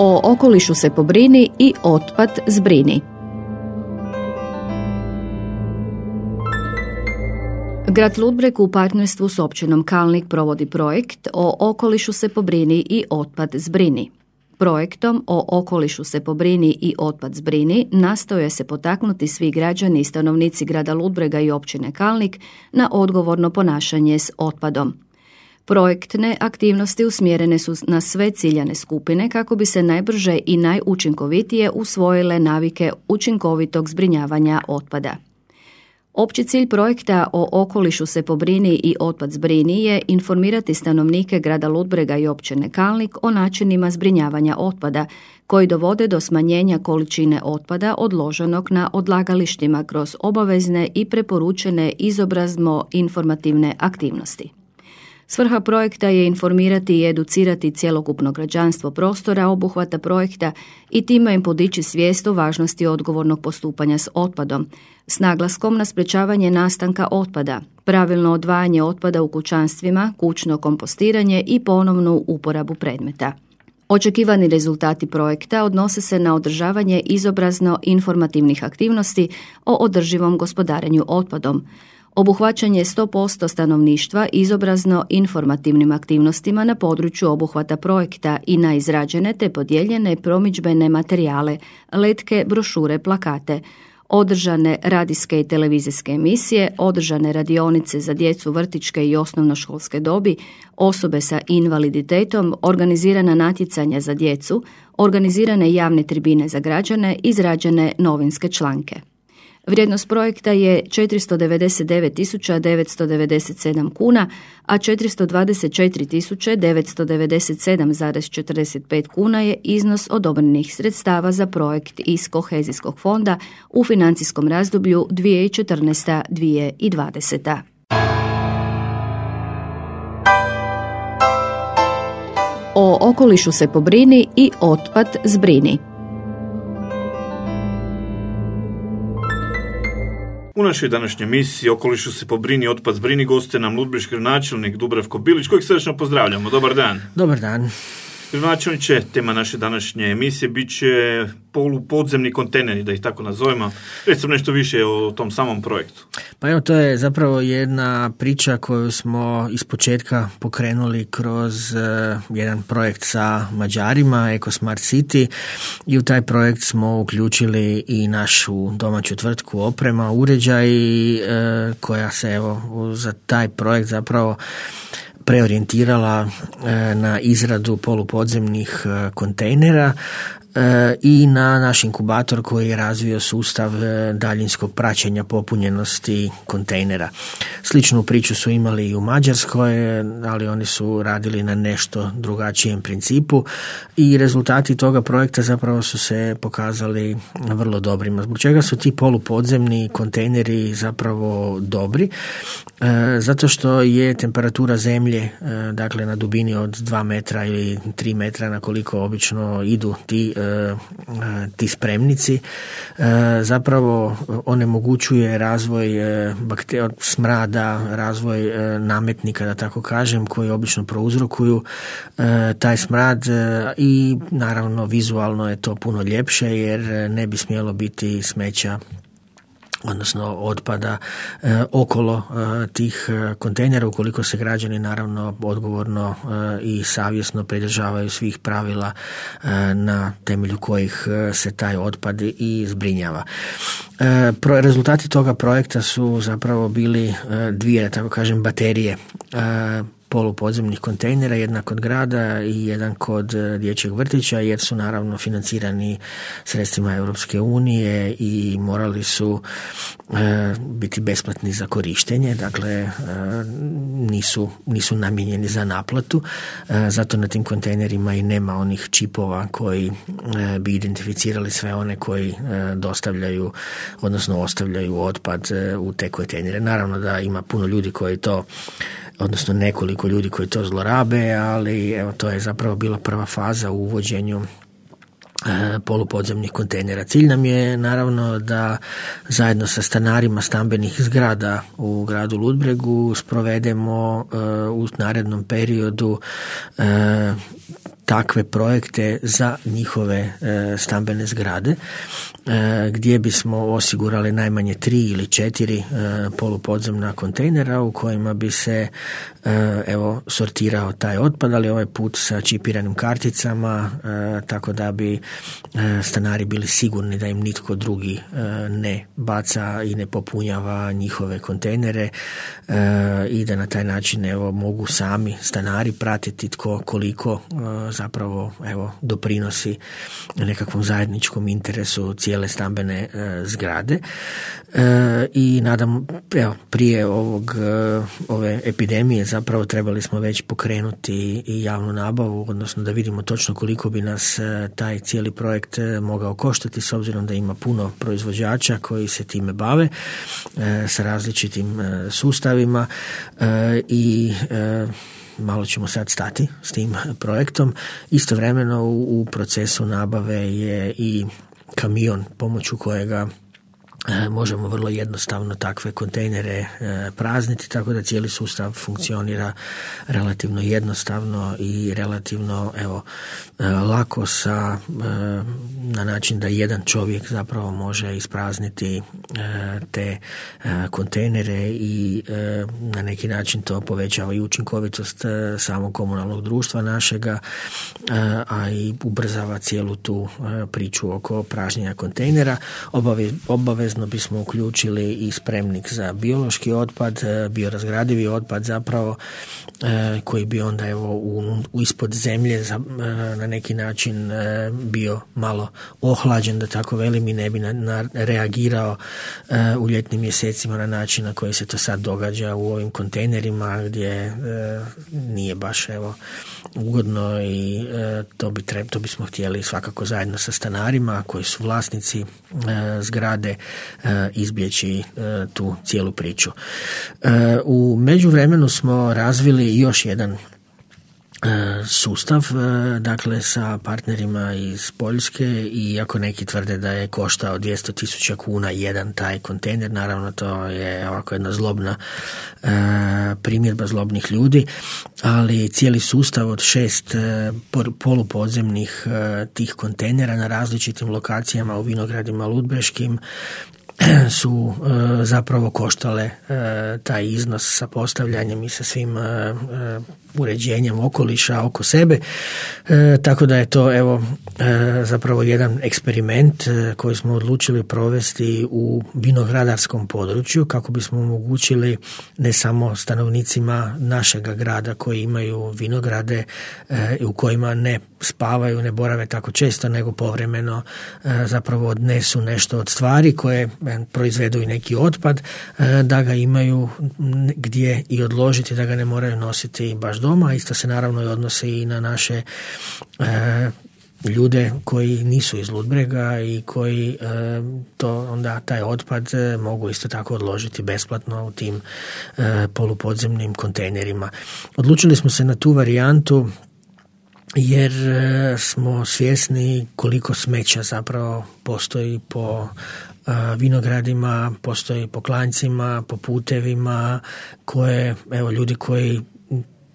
O okolišu se pobrini i otpad zbrini. Grad Ludbreg u partnerstvu s općinom Kalnik provodi projekt O okolišu se pobrini i otpad zbrini. Projektom O okolišu se pobrini i otpad zbrini nastoje se potaknuti svi građani i stanovnici grada Ludbrega i općine Kalnik na odgovorno ponašanje s otpadom. Projektne aktivnosti usmjerene su na sve ciljane skupine kako bi se najbrže i najučinkovitije usvojile navike učinkovitog zbrinjavanja otpada. Opći cilj projekta O okolišu se pobrini i otpad zbrini je informirati stanovnike grada Ludbrega i općine Kalnik o načinima zbrinjavanja otpada koji dovode do smanjenja količine otpada odloženog na odlagalištima kroz obavezne i preporučene izobrazno-informativne aktivnosti. Svrha projekta je informirati i educirati cjelokupno građanstvo prostora obuhvata projekta i time im podići svijest o važnosti odgovornog postupanja s otpadom, s naglaskom na sprečavanje nastanka otpada, pravilno odvajanje otpada u kućanstvima, kućno kompostiranje i ponovnu uporabu predmeta. Očekivani rezultati projekta odnose se na održavanje izobrazno-informativnih aktivnosti o održivom gospodarenju otpadom, obuhvaćanje 100% stanovništva izobrazno-informativnim aktivnostima na području obuhvata projekta i na izrađene te podijeljene promidžbene materijale, letke, brošure, plakate, održane radijske i televizijske emisije, održane radionice za djecu vrtićke i osnovnoškolske dobi, osobe sa invaliditetom, organizirana natjecanja za djecu, organizirane javne tribine za građane, izrađene novinske članke. Vrijednost projekta je 499.997 kuna, a 424.997,45 kuna je iznos odobrenih sredstava za projekt iz kohezijskog fonda u financijskom razdoblju 2014-2020. O okolišu se pobrini i otpad zbrini. U našoj današnjoj emisiji Okolišu se pobrini, otpad zbrini goste nam ludbreški gradonačelnik Dubravko Bilić, kojeg srdečno pozdravljamo. Dobar dan. Dobar dan. Gradonačelniče, tema naše današnje emisije bit će polupodzemni kontejneri, da ih tako nazovemo. Recimo nešto više o tom samom projektu. Pa evo, to je zapravo jedna priča koju smo ispočetka pokrenuli kroz jedan projekt sa Mađarima, Eko Smart City, i u taj projekt smo uključili i našu domaću tvrtku Oprema, uređaj, koja se evo za taj projekt zapravo preorijentirala na izradu polupodzemnih kontejnera i na naš inkubator koji je razvio sustav daljinskog praćenja popunjenosti kontejnera. Sličnu priču su imali i u Mađarskoj, ali oni su radili na nešto drugačijem principu i rezultati toga projekta zapravo su se pokazali vrlo dobrima. Zbog čega su ti polupodzemni kontejneri zapravo dobri? Zato što je temperatura zemlje, dakle na dubini od 2 metra ili 3 metra na koliko obično idu ti spremnici, zapravo onemogućuje razvoj smrada, razvoj nametnika, da tako kažem, koji obično prouzrokuju taj smrad, i naravno vizualno je to puno ljepše jer ne bi smjelo biti smeća, odnosno otpada okolo tih kontejnera, ukoliko se građani naravno odgovorno i savjesno pridržavaju svih pravila na temelju kojih se taj otpad i zbrinjava. Rezultati toga projekta su zapravo bili dvije, da tako kažem, baterije polupodzemnih kontejnera, jedna kod grada i jedan kod dječjeg vrtića, jer su naravno financirani sredstvima Europske unije i morali su biti besplatni za korištenje, dakle nisu namijenjeni za naplatu, zato na tim kontejnerima i nema onih čipova koji bi identificirali sve one koji dostavljaju, odnosno ostavljaju otpad u te kontejnere. Naravno da ima puno ljudi koji to, odnosno nekoliko ljudi koji to zlorabe, ali evo, to je zapravo bila prva faza u uvođenju polupodzemnih kontejnera. Cilj nam je naravno da zajedno sa stanarima stambenih zgrada u gradu Ludbregu sprovedemo u narednom periodu takve projekte za njihove stambene zgrade, gdje bismo osigurali najmanje 3 ili 4 polupodzemna kontejnera u kojima bi se sortirao taj otpad, ali ovaj put sa čipiranim karticama, tako da bi stanari bili sigurni da im nitko drugi ne baca i ne popunjava njihove kontejnere i da na taj način mogu sami stanari pratiti tko koliko zapravo doprinosi nekakvom zajedničkom interesu cijele stambene zgrade. I nadam, prije ove epidemije zapravo trebali smo već pokrenuti i javnu nabavu, odnosno da vidimo točno koliko bi nas taj cijeli projekt mogao koštati, s obzirom da ima puno proizvođača koji se time bave sa različitim sustavima i malo ćemo sad stati s tim projektom. Istovremeno u procesu nabave je i kamion pomoću kojega možemo vrlo jednostavno takve kontejnere prazniti, tako da cijeli sustav funkcionira relativno jednostavno i relativno lako na način da jedan čovjek zapravo može isprazniti te kontejnere i na neki način to povećava i učinkovitost samog komunalnog društva našega, a i ubrzava cijelu tu priču oko pražnjenja kontejnera. Obavezno bismo uključili i spremnik za biološki otpad, biorazgradivi otpad zapravo, koji bi onda ispod zemlje na neki način bio malo ohlađen, da tako velim, i ne bi reagirao u ljetnim mjesecima na način na koji se to sad događa u ovim kontejnerima gdje nije baš ugodno i to bismo htjeli svakako zajedno sa stanarima koji su vlasnici zgrade izbjeći tu cijelu priču. U međuvremenu smo razvili još jedan sustav, dakle sa partnerima iz Poljske, i iako neki tvrde da je koštao 200.000 kuna jedan taj kontejner, naravno to je ovako jedna zlobna primjedba zlobnih ljudi, ali cijeli sustav od 6 polupodzemnih tih kontejnera na različitim lokacijama u vinogradima ludbreškim su zapravo koštale taj iznos sa postavljanjem i sa svim uređenjem okoliša oko sebe, tako da je to zapravo jedan eksperiment koji smo odlučili provesti u vinogradarskom području kako bismo omogućili ne samo stanovnicima našega grada koji imaju vinograde u kojima ne spavaju, ne borave tako često, nego povremeno zapravo odnesu nešto od stvari koje proizvedu i neki otpad, da ga imaju gdje i odložiti, da ga ne moraju nositi baš doma. Isto se naravno i odnosi i na naše ljude koji nisu iz Ludbrega i koji onda taj otpad mogu isto tako odložiti besplatno u tim polupodzemnim kontejnerima. Odlučili smo se na tu varijantu jer smo svjesni koliko smeća zapravo postoji po vinogradima, postoji po klancima, po putevima koje ljudi koji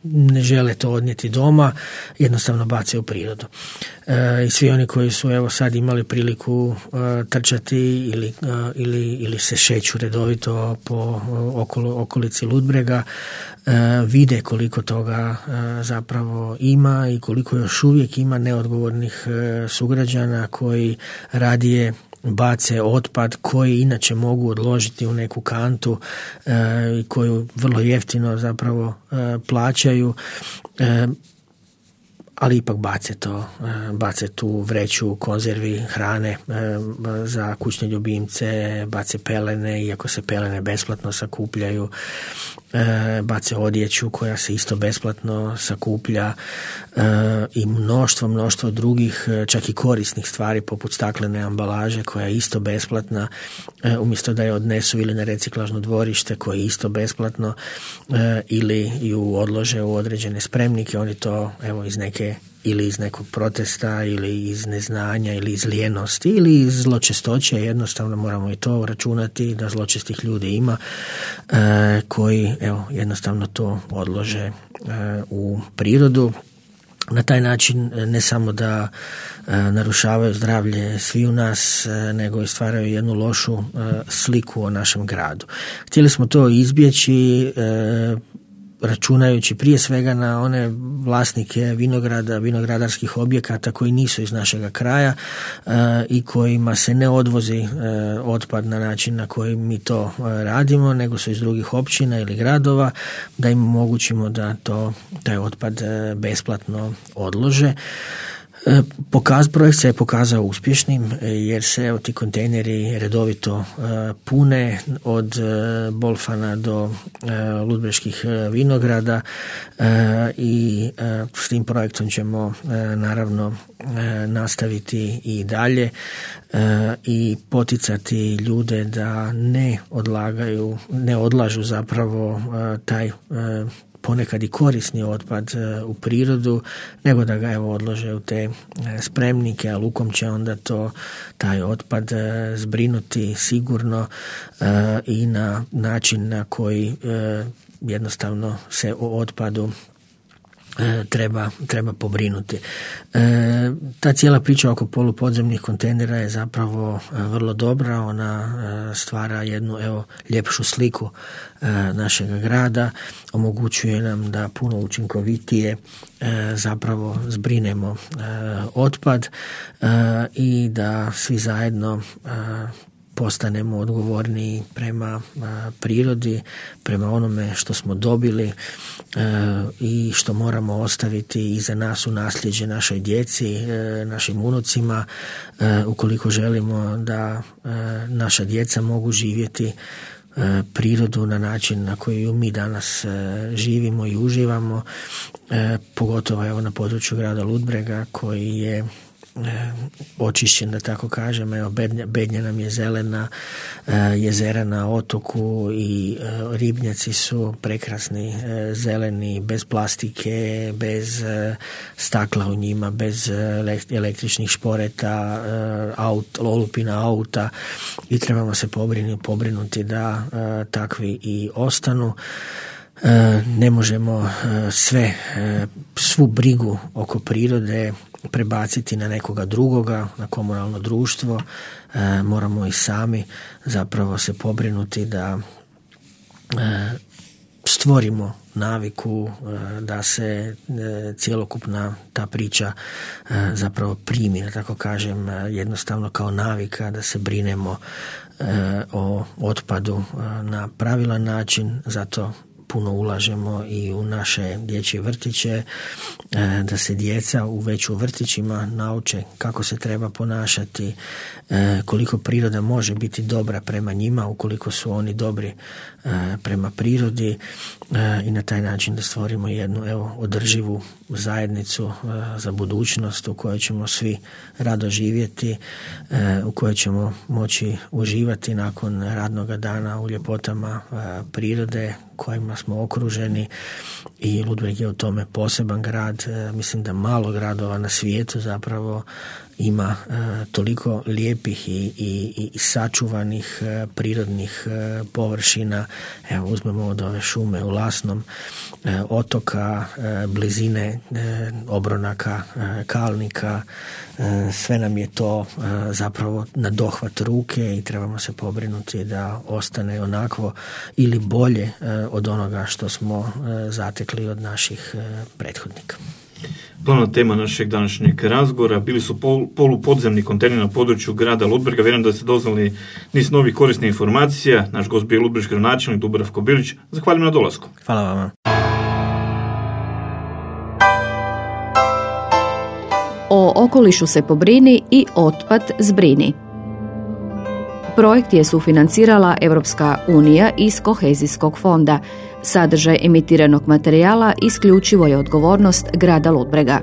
ne žele to odnijeti doma, jednostavno bace u prirodu. I svi oni koji su sad imali priliku trčati ili se šeću redovito po okolici Ludbrega, vide koliko toga zapravo ima i koliko još uvijek ima neodgovornih sugrađana koji radije bace otpad koji inače mogu odložiti u neku kantu i koju vrlo jeftino zapravo plaćaju, ali ipak bace tu vreću konzervi, hrane za kućne ljubimce, bace pelene, iako se pelene besplatno sakupljaju, bace odjeću koja se isto besplatno sakuplja i mnoštvo drugih, čak i korisnih stvari poput staklene ambalaže koja je isto besplatna, umjesto da je odnesu ili na reciklažno dvorište koje je isto besplatno ili ju odlože u određene spremnike. Oni to iz nekog protesta ili iz neznanja ili iz lijenosti ili iz zločestoće, jednostavno moramo i to računati da zločestih ljudi ima koji jednostavno to odlože u prirodu. Na taj način ne samo da narušavaju zdravlje svi u nas, nego i stvaraju jednu lošu sliku o našem gradu. Htjeli smo to izbjeći računajući prije svega na one vlasnike vinograda, vinogradarskih objekata koji nisu iz našega kraja i kojima se ne odvozi otpad na način na koji mi to radimo, nego su iz drugih općina ili gradova, da im omogućimo da taj otpad besplatno odlože. Projekt se je pokazao uspješnim jer se ti kontejneri redovito pune od Bolfana do Ludbreških vinograda i s tim projektom ćemo naravno nastaviti i dalje i poticati ljude da ne odlažu zapravo taj ponekad i korisni otpad u prirodu, nego da ga odlože u te spremnike, a lukom će onda taj otpad zbrinuti sigurno i na način na koji jednostavno se o otpadu treba pobrinuti. Ta cijela priča oko polupodzemnih kontejnera je zapravo vrlo dobra, ona stvara jednu ljepšu sliku našeg grada, omogućuje nam da puno učinkovitije zapravo zbrinemo otpad i da svi zajedno postanemo odgovorniji prema prirodi, prema onome što smo dobili i što moramo ostaviti iza nas u nasljeđe našoj djeci, našim unucima, ukoliko želimo da naša djeca mogu živjeti prirodu na način na koji mi danas živimo i uživamo, pogotovo na području grada Ludbrega koji je očišćen, da tako kažem. Bednja nam je zelena, jezera na otoku i ribnjaci su prekrasni, zeleni, bez plastike, bez stakla u njima, bez električnih šporeta, olupina auta i trebamo se pobrinuti da takvi i ostanu. Ne možemo svu brigu oko prirode prebaciti na nekoga drugoga, na komunalno društvo. Moramo i sami zapravo se pobrinuti da stvorimo naviku, da se cjelokupna ta priča zapravo primi, da tako kažem, jednostavno kao navika, da se brinemo o otpadu na pravilan način. Zato puno ulažemo i u naše dječje vrtiće, da se djeca već u vrtićima nauče kako se treba ponašati, koliko priroda može biti dobra prema njima ukoliko su oni dobri prema prirodi i na taj način da stvorimo jednu održivu zajednicu za budućnost u kojoj ćemo svi rado živjeti, u kojoj ćemo moći uživati nakon radnog dana u ljepotama prirode kojima smo okruženi i Ludbreg je u tome poseban grad. Mislim da malo gradova na svijetu zapravo ima toliko lijepih i sačuvanih prirodnih površina. Evo, uzmemo od ove šume u Lasnom, otoka, blizine Obronaka, Kalnika, sve nam je to zapravo na dohvat ruke i trebamo se pobrinuti da ostane onakvo ili bolje od onoga što smo zatekli od naših prethodnika. Glavna tema našeg današnjeg razgovora bili su polupodzemni kontejneri na području grada Ludbrega. Vjerujem da ste doznali niz novih korisnih informacija. Naš gost bio ludbreški gradonačelnik Dubravko Bilić. Zahvaljujem na dolasku. Hvala vama. O okolišu se pobrini i otpad zbrini. Projekt je sufinancirala Europska unija iz Kohezijskog fonda. Sadržaj emitiranog materijala isključivo je odgovornost grada Ludbrega.